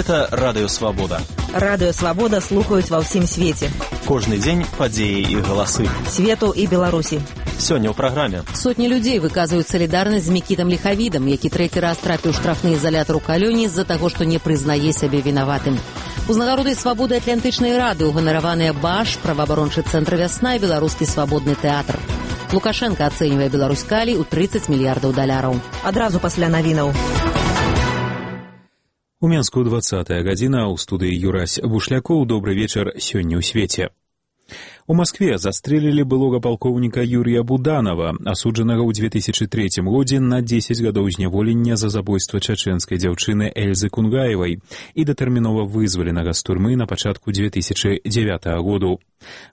Гэта Радыё Свабода. Радыё Свабода слухаюць ва ўсім свеце. Кожны дзень падзеі і галасы. Свету і Беларусі. Сёння ў праграме. Сотні людзей выказваюць салідарнасць з Мікітам Ліхавідам, які трэці раз трапіў штрафны ізалятар у Калёні з-за таго, што не прызнае сябе вінаватым. Узнагародай свабоды Атлантычнай рады ўганараваныя БАШ, праваабарончы цэнтр «Вясна» і беларускі свабодны тэатр. Лукашенко ацэньвае Беларусь калій у 30 мільярдаў даляраў. Адразу пасля навінаў. У Менску 20-я гадзіна, у студыі Юрась Бушлякоў. Добры вечар сёння ў свеце. У Маскве застрелілі былога палкоўніка Юрія Буданова, асуджанага ў 2003 годзе на 10 гадоў зняволення за забойства чачэнскай дзяўчыны Эльзы Кунгаевай і датэрмінова вызваленага з турмы на пачатку 2009 году.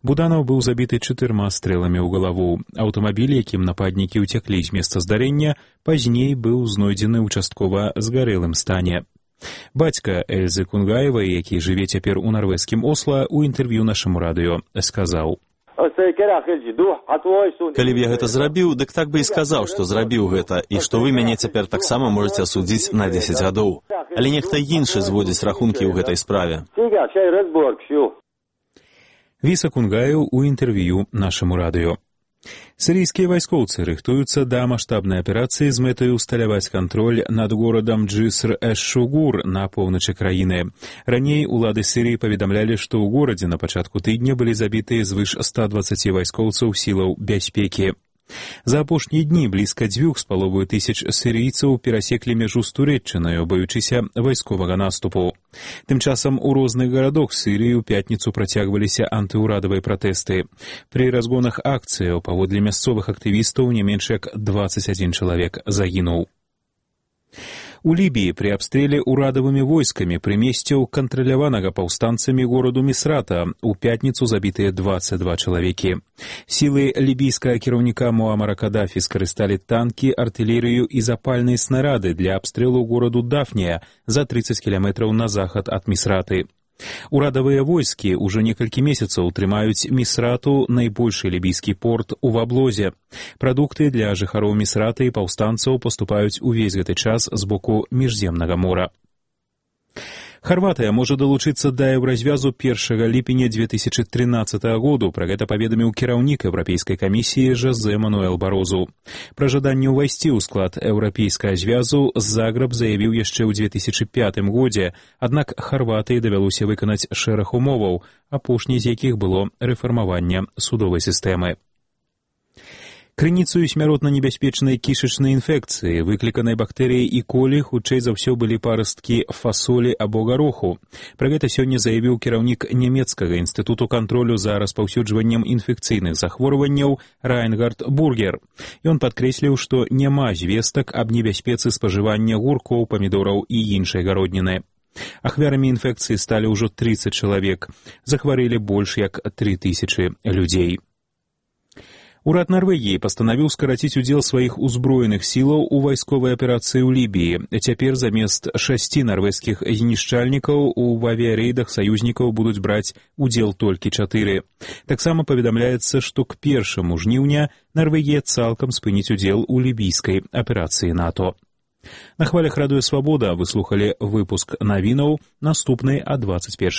Буданов быў забіты 4 стрэламі ў галаву. Аўтамабіль, якім нападнікі ўцяклі з месца здарэння, пазней быў знойдзены ўчасткова згарэлым стане. Бацька Эльзы Кунгаевай, які жыве цяпер у нарвежскім Осла, у інтэрв'ю нашаму радыё сказаў: «Калі б я гэта зрабіў, дык так бы і сказаў, што зрабіў гэта, і што вы мяне цяпер таксама можаце асудзіць на 10 гадоў. Але нехта іншы зводзіць рахункі ў гэтай справе». Віса Кунгаеў у інтэрв'ю нашаму радыё. Сірійскія вайскоўцы рыхтуюцца да маштабнай аперацыі з мэтай усталяваць кантроль над горадам Джыср-эш-Шугур на поўначы краіны. Раней улады Сірыі паведамлялі, што ў горадзе на пачатку тыдня былі забітыя звыш 120 вайскоўцаў сілаў бяспекі. За апошнія дні блізка 2,5 сірыйцаў перасеклі мяжу з Турэччынаю, баючыся вайсковага наступу. Тым часам у розных гарадах Сірыі ў пятніцу працягваліся антыўрадавыя пратэсты. Пры разгонах акцыяў, паводле мясцовых актывістаў, не менш як 21 чалавек загінуў. У Лібіі пры абстрэле ўрадавымі войскамі прымесцяў кантраляванага паўстанцамі гораду Місрата у пятніцу забітыя 22 чалавекі. Сілы лібійскага кіраўніка Муамара Кадафі скарысталі танкі, артылерыю і запальныя снарады для абстрэлу гораду Дафнія за 30 кіламетраў на захад ад Місраты. Урадавыя войскі ўжо некалькі месяцаў трымаюць Місрату, найбольшы лібійскі порт, у аблозе. Прадукты для жыхароў Місрата і паўстанцаў паступаюць увесь гэты час з боку міжземнага мора. Харватыя можа далучыцца да еўразвязу 1 ліпеня 2013 году. Пра гэта паведаміў кіраўнік Еўрапейскай камісіі Жозе Мануэл Барозу. Пра жаданне ўвайсці ў склад еўрапейскага звязу Загрэб заявіў яшчэ ў 2005 годзе, аднак Харватыі давялося выканаць шэраг умоваў, апошняй з якіх было рэфармаванне судовай сістэмы. Крыніцаю смяротна небяспечнай кішачнай інфекцыі, выкліканай бактэрыяй і колі, хутчэй за ўсё былі парасткі фасолі або гароху. Пра гэта сёння заявіў кіраўнік нямецкага інстытуту кантролю за распаўсюджваннем інфекцыйных захворванняў Райнгард Бургер. Ён падкрэсліў, што няма звестак аб небяспецы спажывання гуркоў, памідораў і іншай гародніны. Ахвярамі інфекцыі сталі ўжо 30 чалавек. Захварэлі больш як 3000 людзей. Урад Нарвегіі пастанавіў скараціць удзел сваіх узброеных сілаў у вайсковай аперацыі ў Лібіі. Цяпер замест 6 нарвежскіх знішчальнікаў у авіярэйдах саюзнікаў будуць браць удзел толькі 4. Таксама паведамляецца, што к 1 жніўня Нарвегія цалкам спыніць удзел у лібійскай аперацыі НАТО. На хвалях Радыё Свабода вы слухалі выпуск навінаў, наступны о 21